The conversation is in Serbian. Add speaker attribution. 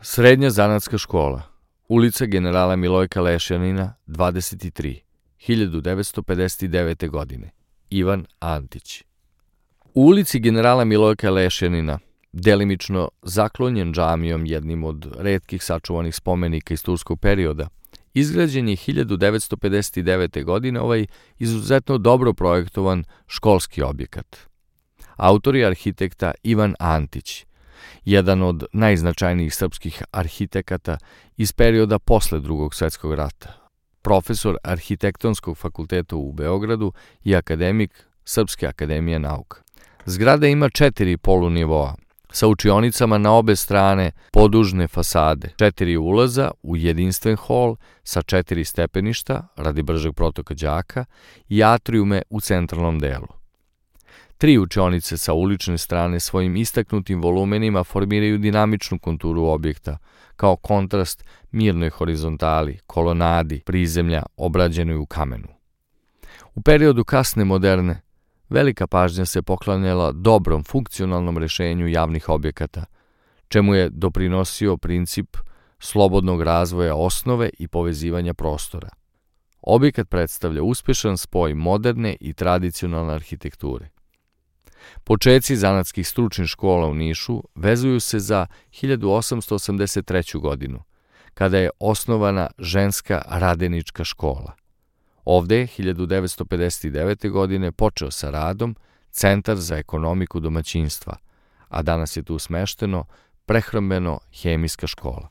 Speaker 1: Srednja zanatska škola, ulica generala Milojka Lešjanina, 23, 1959. godine, Ivan Antić. U ulici generala Milojka Lešjanina, delimično zaklonjen džamijom, jednim od retkih sačuvanih spomenika iz turskog perioda, izgrađen je 1959. godine ovaj izuzetno dobro projektovan školski objekat. Autor je arhitekta Ivan Antić, jedan od najznačajnijih srpskih arhitekata iz perioda posle Drugog svetskog rata, profesor Arhitektonskog fakulteta u Beogradu i akademik Srpske akademije nauka. Zgrada ima 4 polunivoa, sa učionicama na obe strane podužne fasade, 4 ulaza u jedinstven hol sa 4 stepeništa radi bržeg protoka đaka i atrijume u centralnom delu. 3 učionice sa ulične strane svojim istaknutim volumenima formiraju dinamičnu konturu objekta, kao kontrast mirnoj horizontali, kolonadi, prizemlja obrađenoj u kamenu. U periodu kasne moderne, velika pažnja se poklanjala dobrom funkcionalnom rešenju javnih objekata, čemu je doprinosio princip slobodnog razvoja osnove i povezivanja prostora. Objekat predstavlja uspešan spoj moderne i tradicionalne arhitekture. Počeci zanatskih stručnih škola u Nišu vezuju se za 1883. godinu, kada je osnovana ženska radenička škola. Ovde je 1959. godine počeo sa radom Centar za ekonomiku domaćinstva, a danas je tu smešteno prehrambeno-hemijska škola.